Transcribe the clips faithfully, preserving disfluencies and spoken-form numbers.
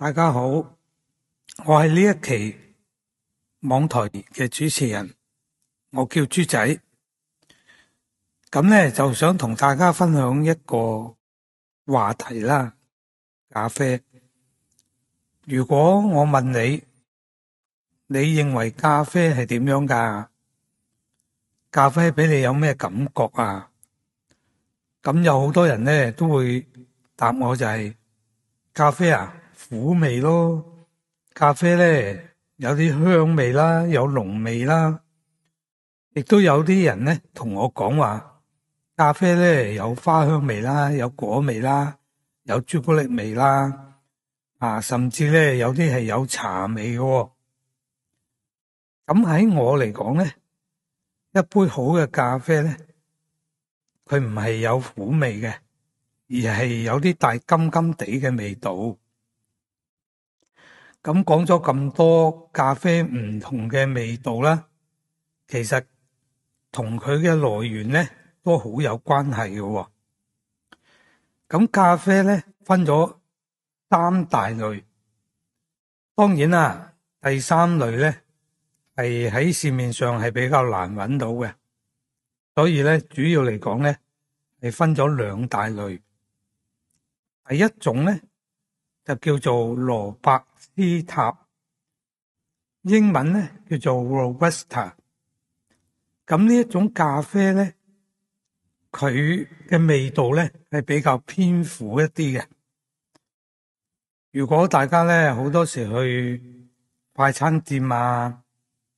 大家好，我係呢一期網台嘅主持人，我叫豬仔。咁咧就想同大家分享一個話題啦，咖啡。如果我問你，你認為咖啡係點樣㗎？咖啡俾你有咩感覺啊？咁有好多人咧都會答我就係咖啡啊，苦味咯。咖啡咧有啲香味啦，有濃味啦，亦都有啲人咧同我講話，咖啡咧有花香味啦，有果味啦，有朱古力味啦，啊，甚至咧有啲係有茶味嘅。咁喺我嚟講咧，一杯好嘅咖啡咧，佢唔係有苦味嘅，而係有啲帶甘甘地嘅味道。咁講咗咁多咖啡唔同嘅味道啦，其實同佢嘅來源咧都好有關係嘅。咁咖啡咧分咗三大類，當然啦，第三類咧係喺市面上係比較難揾到嘅，所以咧主要嚟講咧係分咗兩大類。第一種咧就叫做羅伯斯塔，英文咧叫做 Robusta。咁呢一種咖啡咧，佢嘅味道咧係比較偏苦一啲嘅。如果大家咧好多時去快餐店啊，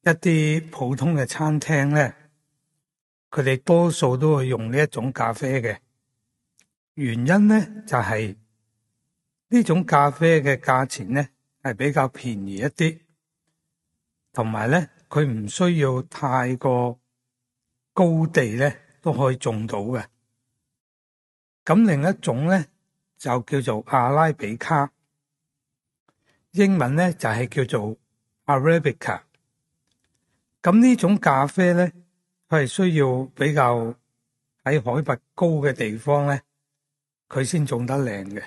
一啲普通嘅餐廳咧，佢哋多數都會用呢一種咖啡嘅。原因咧就係呢種咖啡嘅價錢咧係比較便宜一啲，同埋咧佢唔需要太過高地咧都可以種到嘅。咁另一種咧就叫做阿拉比卡，英文咧就係叫做 Arabica。咁呢種咖啡咧，佢係需要比較喺海拔高嘅地方咧，佢先種得靚嘅。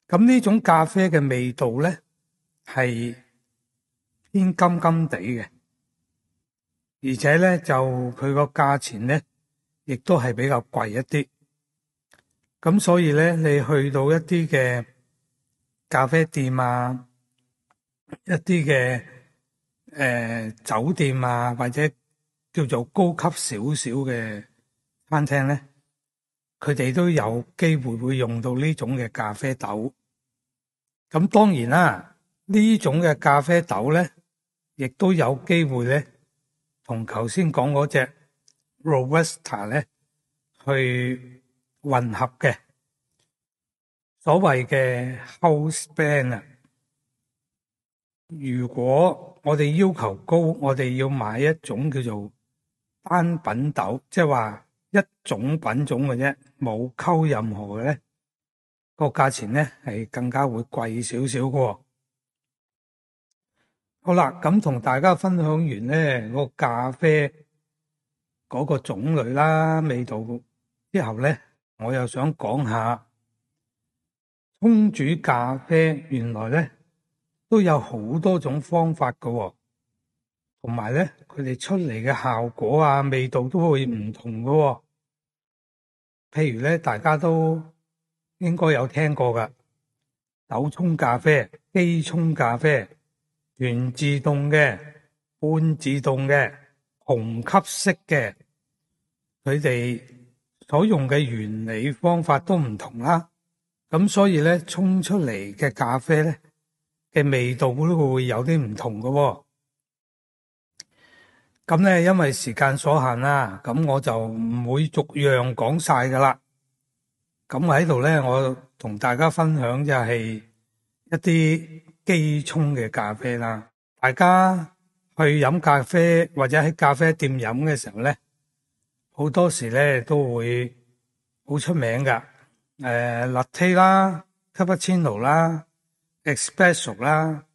咁呢種咖啡嘅味道咧係偏甘甘地嘅，而且咧就佢個價錢咧亦都係比較貴一啲。咁所以咧你去到一啲嘅咖啡店啊，一啲嘅誒酒店啊，或者叫做高級少少嘅餐廳咧，佢哋都有機會會用到呢種嘅咖啡豆。咁當然啦，呢種嘅咖啡豆咧，亦都有機會咧，同頭先講嗰隻 Robusta 咧去混合嘅，所謂嘅 house blend 啊。如果我哋要求高，我哋要買一種叫做單品豆，即係話一種品種嘅啫，冇溝任何嘅咧，個價錢咧係更加會貴少少嘅。好啦，咁同大家分享完咧個咖啡嗰個種類啦、味道之後咧，我又想講下沖煮咖啡，原來咧都有好多種方法嘅，同埋咧佢哋出嚟嘅效果啊、味道都會唔同嘅。譬如咧，大家都應該有聽過噶，手沖咖啡、機沖咖啡、全自動嘅、半自動嘅、虹吸式嘅，佢哋所用嘅原理方法都唔同啦。咁所以咧，沖出嚟嘅咖啡咧嘅味道都會有啲唔同嘅。咁咧，因為時間所限啦，咁我就唔會逐樣講晒噶啦。咁喺度咧，我同大家分享就係一啲機沖嘅咖啡啦。大家去飲咖啡或者喺咖啡店飲嘅時候咧，好多時咧都會好出名噶。誒，latte 啦、cappuccino 啦、espresso 啦，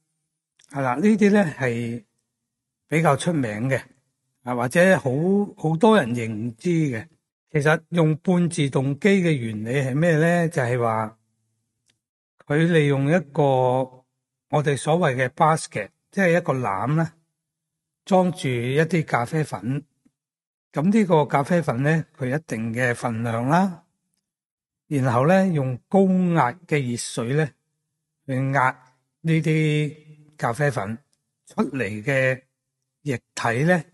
係啦，呢啲咧係比較出名嘅，啊或者好好多人認知嘅。其實用半自動機嘅原理係咩咧？就係話佢利用一個我哋所謂嘅 basket，即係一個籃啦，裝住一啲咖啡粉。咁呢個咖啡粉咧，佢一定嘅份量啦，然後咧用高壓嘅熱水咧去壓呢啲咖啡粉出嚟嘅液體咧，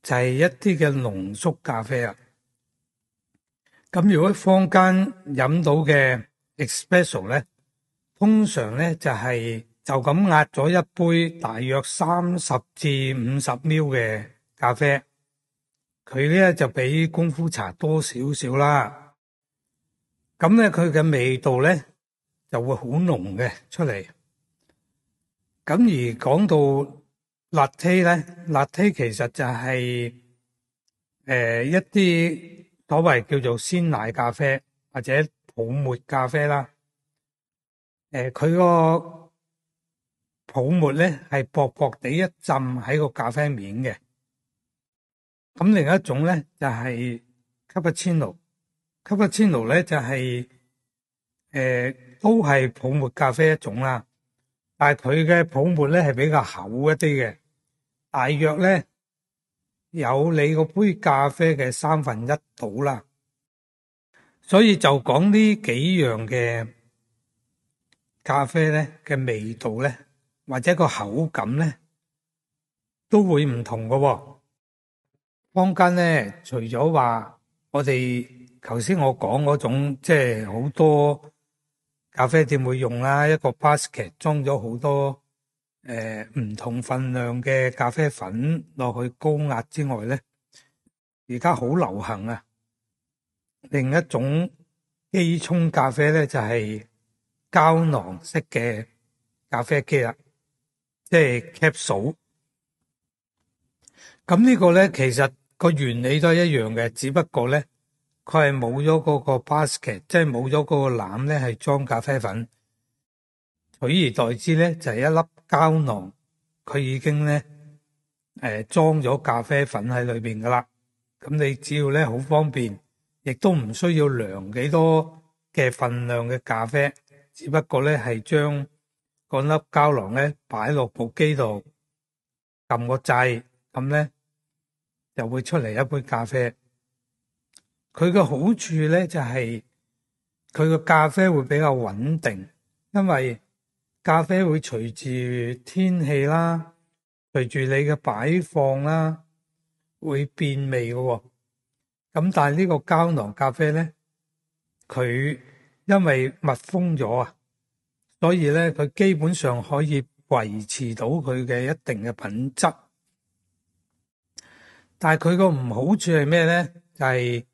就係一啲嘅濃縮咖啡啊。咁如果坊間飲到嘅 espresso 咧，通常咧就係就咁壓咗一杯大約三十至五十 ml 嘅咖啡，佢咧就比功夫茶多少少啦。咁咧佢嘅味道咧就會好濃嘅出嚟。咁而講到 latte 咧 ，latte 其實就係誒一啲所謂叫做鮮奶咖啡或者泡沫咖啡啦。誒佢個泡沫咧係薄薄地一浸喺個咖啡面嘅。咁另一種咧就係 cappuccino，cappuccino 咧就係誒都係泡沫咖啡一種啦，但係佢嘅泡沫咧係比較厚一啲嘅，大約咧有你個杯咖啡嘅三分一到啦。所以就講呢幾樣嘅咖啡咧嘅味道咧，或者個口感咧，都會唔同㗎喎。坊間咧，除咗話我哋頭先我講嗰種，即係好多咖啡店會用啦，一個 basket 裝咗好多誒唔同份量嘅咖啡粉落去高壓之外咧，而家好流行啊！另一種機沖咖啡咧就係膠囊式嘅咖啡機啦，即係 capsule。咁呢個咧其實個原理都係一樣嘅，只不過咧佢係冇咗嗰個 basket，即係冇咗嗰個籃咧係裝咖啡粉，取而代之咧就係一粒膠囊，佢已經咧誒裝咗咖啡粉喺裏邊噶啦。咁你只要咧好方便，亦都唔需要量幾多嘅份量嘅咖啡，只不過咧係將嗰粒膠囊咧擺落部機度，撳個掣，咁咧就會出嚟一杯咖啡。佢嘅好處咧就係佢個咖啡會比較穩定，因為咖啡會隨住天氣啦，隨住你嘅擺放啦，會變味嘅喎。咁但係呢個膠囊咖啡咧，佢因為密封咗啊，所以咧佢基本上可以維持到佢嘅一定嘅品質。但係佢個唔好處係咩咧？就係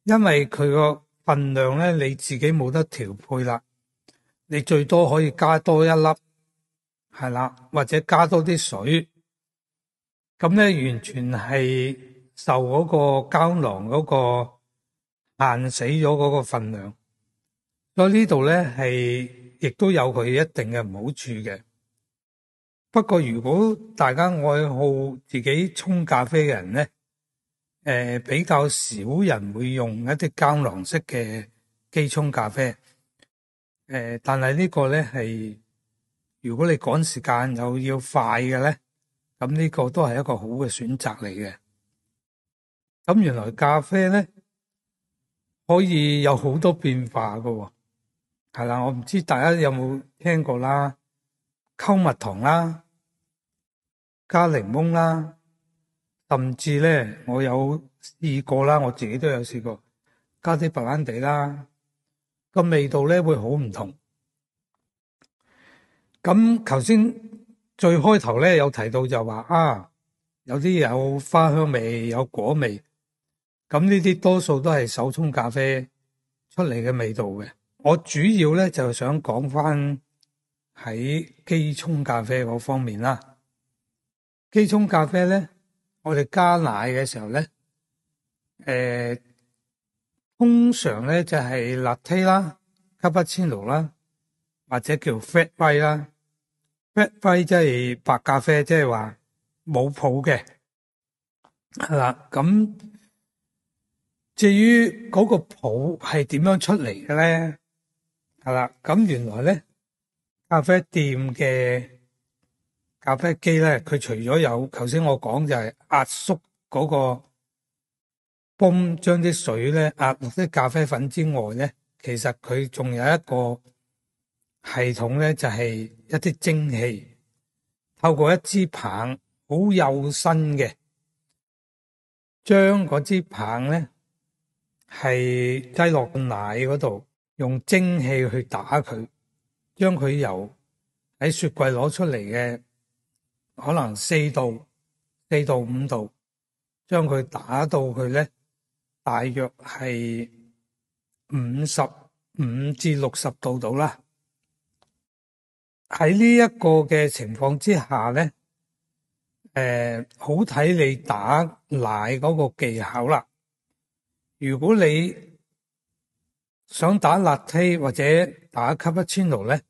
因為佢個份量咧，你自己冇得調配啦。你最多可以加多一粒，係啦，或者加多啲水。咁咧完全係受嗰個膠囊嗰個限死咗嗰個份量。所以呢度咧係亦都有佢一定嘅唔好處嘅。不過如果大家愛好自己沖咖啡嘅人咧，誒、呃、比較少人會用一啲膠囊式嘅機沖咖啡。誒、呃，但係呢個咧係如果你趕時間又要快嘅咧，咁呢個都係一個好嘅選擇嚟嘅。咁原來咖啡咧可以有好多變化㗎喎。係啦，我唔知大家有冇聽過啦，溝蜜糖啦，加檸檬啦，甚至咧我有試過啦，我自己都有試過加啲白蘭地啦，個味道咧會好唔同。咁頭先最開頭咧有提到就話啊，有啲有花香味，有果味，咁呢啲多數都係手沖咖啡出嚟嘅味道嘅。我主要咧就想講翻喺機沖咖啡嗰方面啦。機沖咖啡咧，我哋加奶嘅時候咧，誒、呃，通常咧就係 latte 啦、cappuccino 啦，或者叫 flat white 啦。flat white 即係白咖啡，即係話冇泡嘅，係啦。咁至於嗰個泡係點樣出嚟嘅咧？係啦。咁原來咧，咖啡店嘅咖啡機咧，佢除咗有頭先我講就係壓縮嗰個泵，將啲水咧壓落啲咖啡粉之外咧，其實佢仲有一個系統咧，就係一啲蒸汽，透過一支棒，好幼身嘅，將嗰支棒咧係擠落個奶嗰度，用蒸汽去打佢，將佢由喺雪櫃攞出嚟嘅可能四度、四到五度，將佢打到佢咧，大約係五十五至六十度度啦。喺呢一個嘅情況之下咧，誒、呃，好睇你打奶嗰個技巧啦。如果你想打 latte 或者打 cappuccino 咧，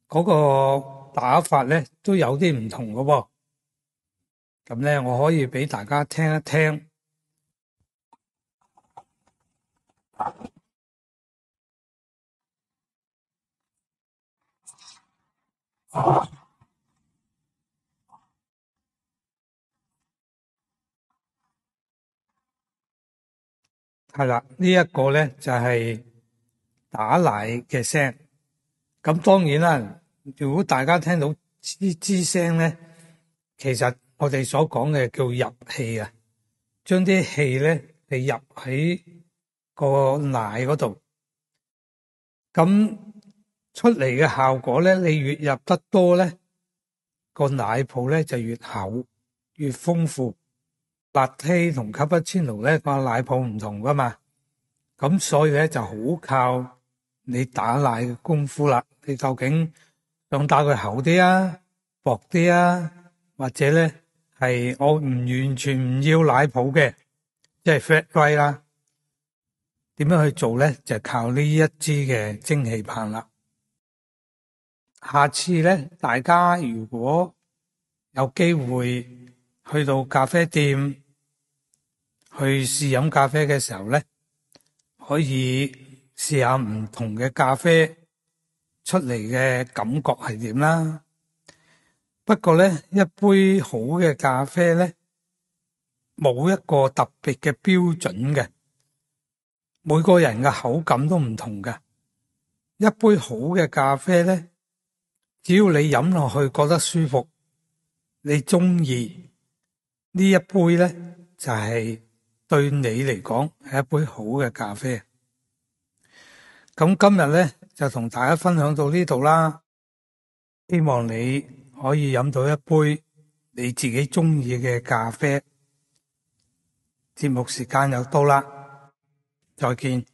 嗰、那個打法咧都有啲唔同嘅喎。咁咧，我可以俾大家聽一聽。係啦，呢一個咧就係打奶嘅聲。咁當然啦，如果大家聽到吱吱聲咧，其實我哋所講嘅叫入氣啊，將啲氣咧係入喺個奶嗰度。咁出嚟嘅效果咧，你越入得多咧，個奶泡咧就越厚越豐富。Latte 同 cappuccino 咧個奶泡唔同噶嘛，咁所以咧就好靠你打奶嘅功夫啦。你究竟想打佢厚啲啊、薄啲啊，或者咧係我唔完全唔要奶泡嘅，即係 flat white 啦。點樣去做咧？就靠呢一支嘅蒸汽棒啦。下次咧，大家如果有機會去到咖啡店去試飲咖啡嘅時候咧，可以試下唔同嘅咖啡出嚟嘅感覺係點啦。不過咧，一杯好嘅咖啡咧，冇一個特別嘅標準嘅，每個人嘅口感都唔同嘅。一杯好嘅咖啡咧，只要你飲落去覺得舒服，你中意呢一杯咧，就係對你嚟講係一杯好嘅咖啡。咁今日咧就同大家分享到呢度啦，希望你可以飲到一杯你自己中意嘅咖啡。節目時間又到啦，再見。